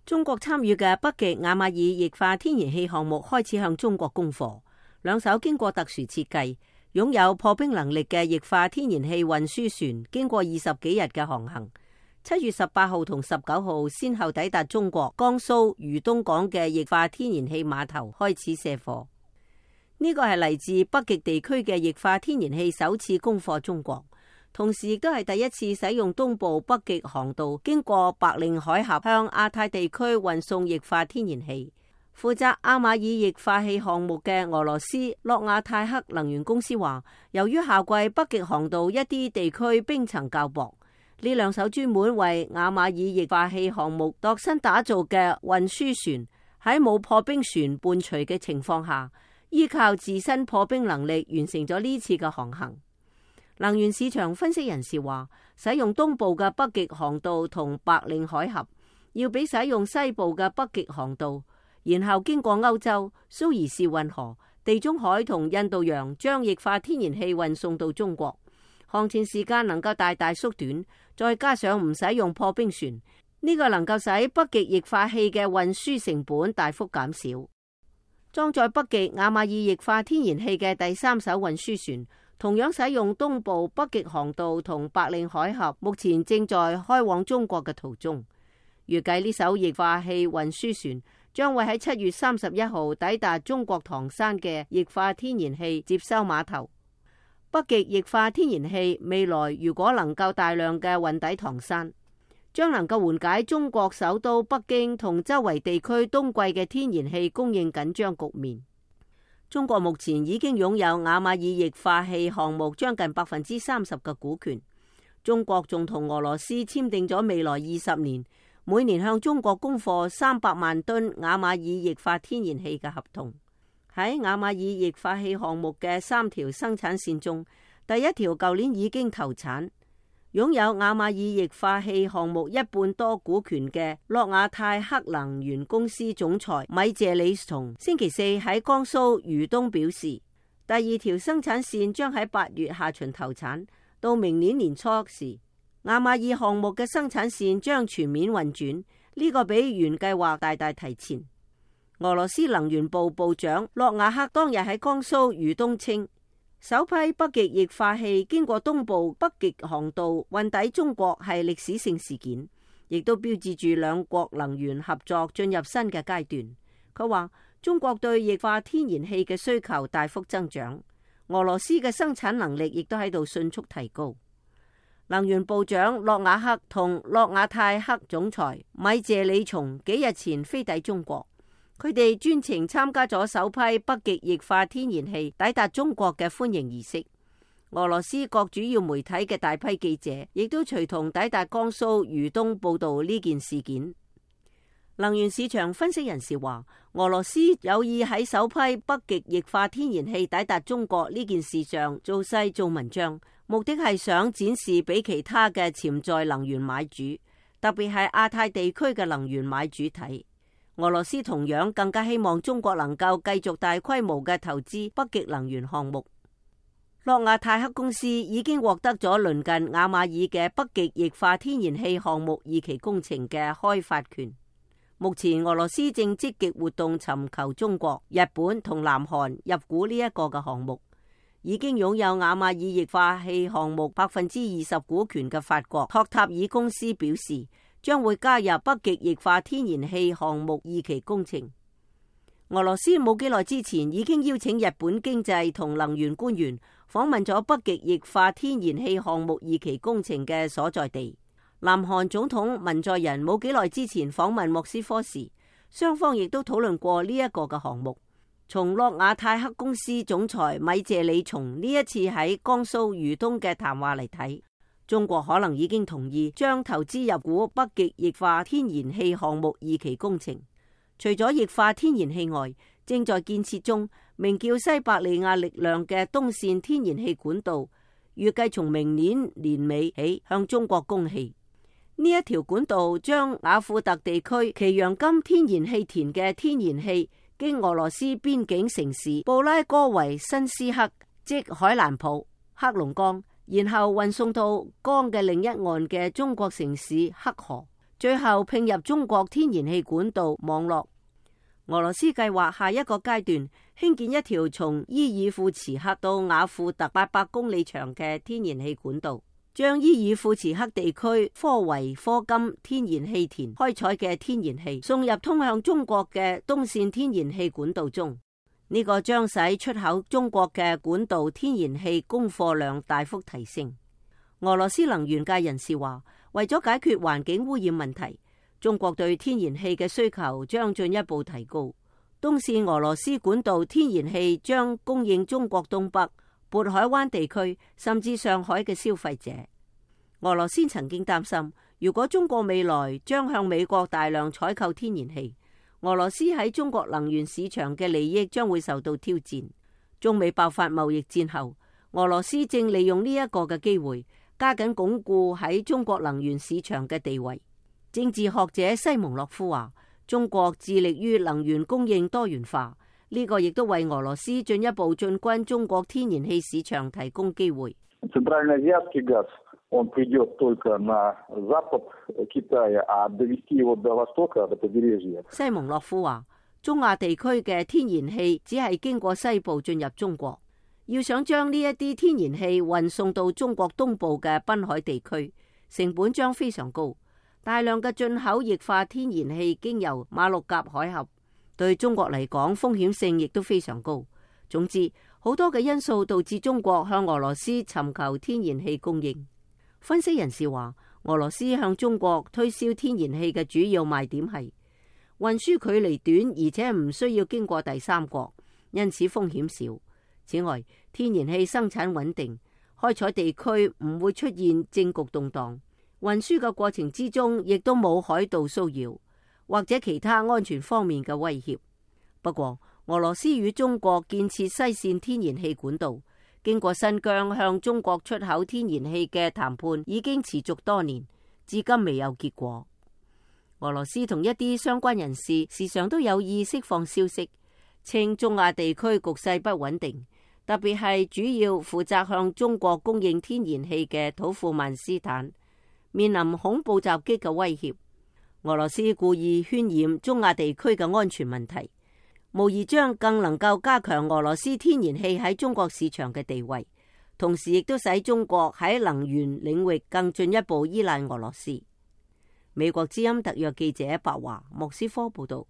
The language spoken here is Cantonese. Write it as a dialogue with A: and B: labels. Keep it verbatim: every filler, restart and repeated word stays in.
A: 中國參與嘅北極亞馬爾液化天然氣項目開始向中國供貨。兩艘經過特殊設計、擁有破冰能力嘅液化天然氣運輸船，經過二十幾日嘅航行，七月十八號同十九號先後抵達中國江蘇豫東港嘅液化天然氣碼頭，開始卸貨。呢個係嚟自北極地區嘅液化天然氣首次供貨中國。同時亦都係第一次使用東部北極航道經過白令海峽向亞太地區運送液化天然氣。負責亞馬爾液化氣項目嘅俄羅斯諾亞泰克能源公司話，由於夏季北極航道一啲地區冰層較薄，呢兩艘專門為亞馬爾液化氣項目度身打造嘅運輸船喺冇破冰船伴隨嘅情況下，依靠自身破冰能力完成咗呢次嘅航行。能源市場分析人士話，使用東部嘅北極航道同白令海峽，要比使用西部嘅北極航道，然後經過歐洲、蘇伊士運河、地中海同印度洋，將液化天然氣運送到中國，航程時間能夠大大縮短，再加上唔使用破冰船，呢、這個能夠使北極液化氣嘅運輸成本大幅減少。裝載北極亞馬爾液化天然氣嘅第三艘運輸船，同樣使用東部北極航道同白令海峽，目前正在開往中國嘅途中。預計呢艘液化氣運輸船將會喺七月三十一號抵達中國唐山嘅液化天然氣接收碼頭。北極液化天然氣未來如果能夠大量嘅運抵唐山，將能夠緩解中國首都北京同周圍地區冬季嘅天然氣供應緊張局面。中國目前已經擁有亞馬爾液化氣項目將近百分之三十嘅股權。中國仲同俄羅斯簽訂咗未來二十年，每年向中國供貨三百萬噸亞馬爾液化天然氣嘅合同。喺亞馬爾液化氣項目嘅三條生產線中，第一條舊年已經投產。擁有亞馬爾液化氣項目一半多股權嘅諾亞泰克能源公司總裁米謝里松星期四喺江蘇豫東表示，第二條生產線將喺八月下旬投產，到明年年初時，亞馬爾項目嘅生產線將全面運轉，呢、這個比原計劃大大提前。俄羅斯能源部部長諾亞克當日喺江蘇豫東稱，首批北極液化氣經過東部北極航道運抵中國係歷史性事件，亦都標誌住兩國能源合作進入新嘅階段。佢話中國對液化天然氣嘅需求大幅增長，俄羅斯嘅生產能力亦都喺度迅速提高。能源部長諾亞克同諾亞泰克總裁米謝里松幾日前飛抵中國，佢哋專程參加咗首批北極液化天然氣抵達中國嘅歡迎儀式。俄羅斯各主要媒體嘅大批記者亦都隨同抵達江蘇豫東報道呢件事件。能源市場分析人士話，俄羅斯有意喺首批北極液化天然氣抵達中國呢件事上做勢做文章，目的係想展示俾其他嘅潛在能源買主，特別係亞太地區嘅能源買主睇。俄羅斯同樣更加希望中國能夠繼續大規模嘅投資北極能源項目。諾亞泰克公司已經獲得咗鄰近亞馬爾嘅北極液化天然氣項目二期工程嘅開發權。目前俄羅斯正積極活動尋求中國、日本同南韓入股呢一個嘅項目。已經擁有亞馬爾液化氣項目百分之二十股權嘅法國托塔爾公司表示，將會加入北極液化天然氣項目二期工程。俄羅斯冇幾耐之前已經邀請日本經濟同能源官員訪問咗北極液化天然氣項目二期工程嘅所在地。南韓總統文在寅冇幾耐之前訪問莫斯科時，雙方亦都討論過呢一個嘅項目。從諾亞泰克公司總裁米謝里松呢一次喺江蘇豫東嘅談話嚟睇，中國可能已經同意將投資入股北極液化天然氣項目二期工程。除咗液化天然氣外，正在建設中名叫西伯利亞力量嘅東線天然氣管道，預計從明年年尾起向中國供氣。呢一條管道將雅庫特地區奇揚金天然氣田嘅天然氣經俄羅斯邊境城市布拉戈維申斯克，即海蘭普、黑龍江，然後運送到江嘅另一岸嘅中國城市黑河，最後併入中國天然氣管道網絡。俄羅斯計劃下一個階段興建一條從伊爾庫茨克到雅庫特八百公里長嘅天然氣管道，將伊爾庫茨克地區科維科金天然氣田開採嘅天然氣送入通向中國嘅東線天然氣管道中。呢、這個將使出口中國嘅管道天然氣供貨量大幅提升。俄羅斯能源界人士話，為咗解決環境污染問題，中國對天然氣嘅需求將進一步提高。東線俄羅斯管道天然氣將供應中國東北、渤海灣地區甚至上海嘅消費者。俄羅斯曾經擔心，如果中國未來將向美國大量採購天然氣，俄羅斯喺中國能源市場嘅利益將會受到挑戰。中美爆發貿易戰後，俄羅斯正利用呢一個嘅機會，加緊鞏固喺中國能源市場嘅地位。政治學者西蒙諾夫話，中國致力於能源供應多元化，呢、這個亦都為俄羅斯進一步進軍中國天然氣市場提供機會。西蒙諾夫話，中亞地區嘅天然氣只係經過西部進入中國，要想將呢一啲天然氣運送到中國東部嘅濱海地區，成本將非常高。大量嘅進口液化天然氣經由馬六甲海峽，對中國嚟講風險性亦都非常高。總之，好多嘅因素導致中國向俄羅斯尋求天然氣供應。分析人士話，俄羅斯向中國推銷天然氣嘅主要賣點係運輸距離短，而且唔需要經過第三國，因此風險少。此外，天然氣生產穩定，開採地區唔會出現政局動盪。運輸嘅過程之中，亦都冇海盜騷擾或者其他安全方面嘅威脅。不過，俄羅斯與中國建設西線天然氣管道，經過新疆向中國出口天然氣嘅談判已經持續多年，至今未有結果。俄羅斯同一啲相關人士時常都有意釋放消息，稱中亞地區局勢不穩定，特別係主要負責向中國供應天然氣嘅土庫曼斯坦面臨恐怖襲擊嘅威脅。俄羅斯故意渲染中亞地區嘅安全問題，無疑將更能夠加強俄羅斯天然氣喺中國市場嘅地位，同時亦都使中國喺能源領域更進一步依賴俄羅斯。美國之音特約記者白華莫斯科報道。